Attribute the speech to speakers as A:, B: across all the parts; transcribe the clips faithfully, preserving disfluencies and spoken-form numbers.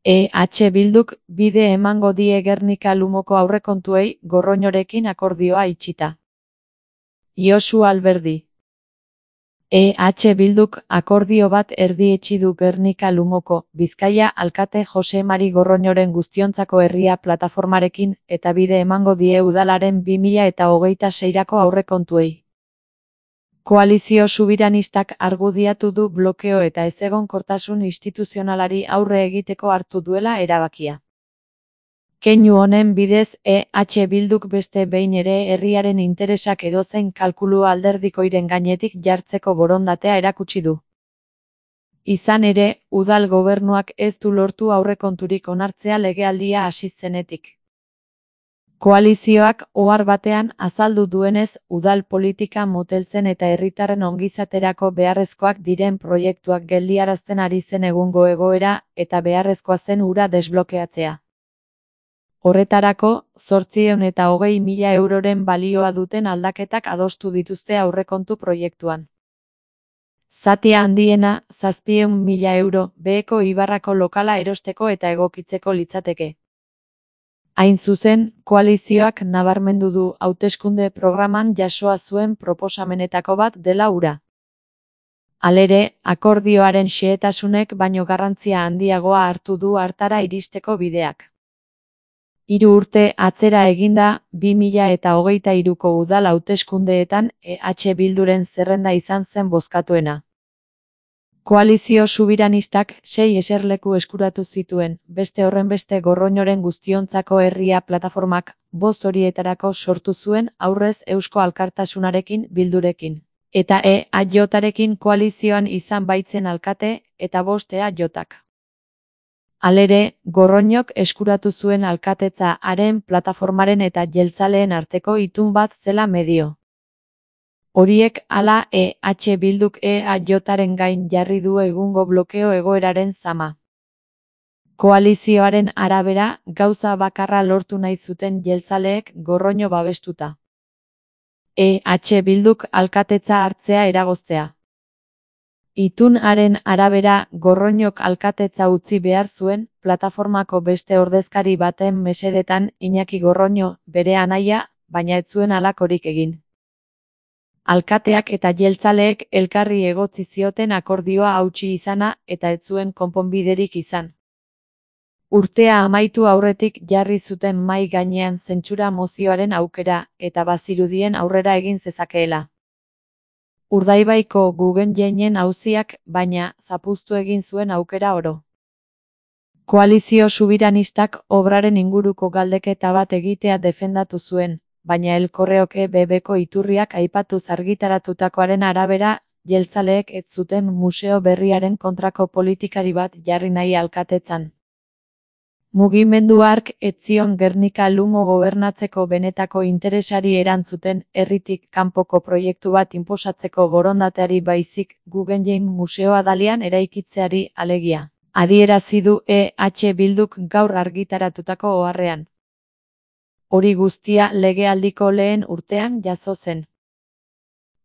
A: E H Bilduk bide emango die Gernika-Lumoko aurrekontuei Gorroñorekin akordioa itxita. Josu Alberdi. E H Bilduk akordio bat erdietsi du Gernika-Lumoko, Bizkaia alkate Jose Mari Gorroñoren Guztiontzako Herria plataformarekin eta bide emango die udalaren bi mila eta hogeita seirako aurrekontuei. Koalizio subiranistak argudiatu du blokeo eta ezegonkortasun instituzionalari aurre egiteko hartu duela erabakia. Keinu honen bidez E H Bilduk beste behin ere herriaren interesak edozein kalkulu alderdikoiren gainetik jartzeko borondatea erakutsi du. Izan ere, udal gobernuak ez du lortu aurrekonturik onartzea legealdia hasi zenetik. Koalizioak ohar batean azaldu duenez, udal politika moteltzen eta herritarren ongizaterako beharrezkoak diren proiektuak geldiarazten ari zen egungo egoera eta beharrezkoa zen hura desblokeatzea. Horretarako, zortziehun eta hogei mila euroren balioa duten aldaketak adostu dituzte aurrekontu proiektuan. Zatia handiena, zazpiehun mila euro, beheko Ibarrako lokala erosteko eta egokitzeko litzateke. Hain zuzen, koalizioak nabarmendu du hauteskunde programan jasoa zuen proposamenetako bat dela hura. Halere, akordioaren xehetasunek baino garrantzia handiagoa hartu du hartara iristeko bideak. Hiru urte atzera eginda, bi mila eta hogeita hiruko udal hauteskundeetan E H Bilduren zerrenda izan zen bozkatuena. Koalizio subiranistak sei eserleku eskuratu zituen, beste horrenbeste Gorroñoren Guztiontzako Herria plataformak bost horietarako sortu zuen aurrez Eusko Alkartasunarekin Bildurekin, eta E A J-arekin koalizioan izan baitzen alkate eta bost E A J-ak. Halere, Gorroñok eskuratu zuen alkatetza haren plataformaren eta jeltzaleen arteko itun bat zela medio. Horiek hala E H Bilduk E A J-aren gain jarri du egungo blokeo egoeraren zama. Koalizioaren arabera, gauza bakarra lortu nahi zuten jeltzaleek Gorroño babestuta. E H Bilduk alkatetza hartzea eragoztea. Itun haren arabera, Gorroñok alkatetza utzi behar zuen, plataformako beste ordezkari baten mesedetan Iñaki Gorroño, bere anaia, baina ez zuen halakorik egin. Alkateak eta jeltzaleek elkarri egotzi zioten akordioa hautsi izana eta ez zuen konponbiderik izan. Urtea amaitu aurretik jarri zuten mahai gainean zentsura mozioaren aukera eta bazirudien aurrera egin zezakeela. Urdaibaiko Guggenheinen auziak, baina, zapuztu egin zuen aukera oro. Koalizio subiranistak obraren inguruko galdeketa bat egitea defendatu zuen, baina El Correok E B B-ko iturriak aipatuz argitaratutakoaren arabera, jeltzaleek ez zuten museo berriaren kontrako politikari bat jarri nahi alkatetzan. Mugimendu hark ez zion Gernika-Lumo gobernatzeko benetako interesari erantzuten, herritik kanpoko proiektu bat inposatzeko borondateari baizik, Guggenheim museoa Dalian eraikitzeari alegia. Adierazi du E H Bilduk gaur argitaratutako oharrean. Hori guztia legealdiko lehen urtean jazo zen.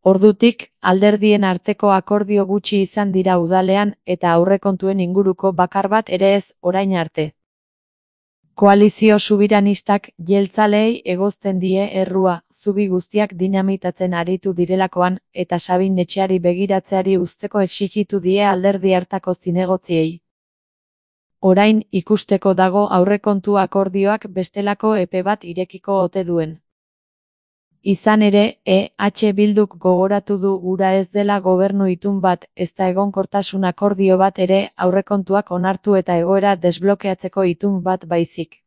A: Ordutik, alderdien arteko akordio gutxi izan dira udalean eta aurrekontuen inguruko bakar bat ere ez orain arte. Koalizio subiranistak jeltzaleei egozten die errua, zubi guztiak dinamitatzen aritu direlakoan eta Sabin Etxeari begiratzeari uzteko exijitu die alderdi hartako zinegotziei. Orain ikusteko dago aurrekontu akordioak bestelako epe bat irekiko ote duen. Izan ere, E H Bilduk gogoratu du hura ez dela gobernu itun bat, ezta egonkortasun akordio bat ere, aurrekontuak onartu eta egoera desblokeatzeko itun bat baizik.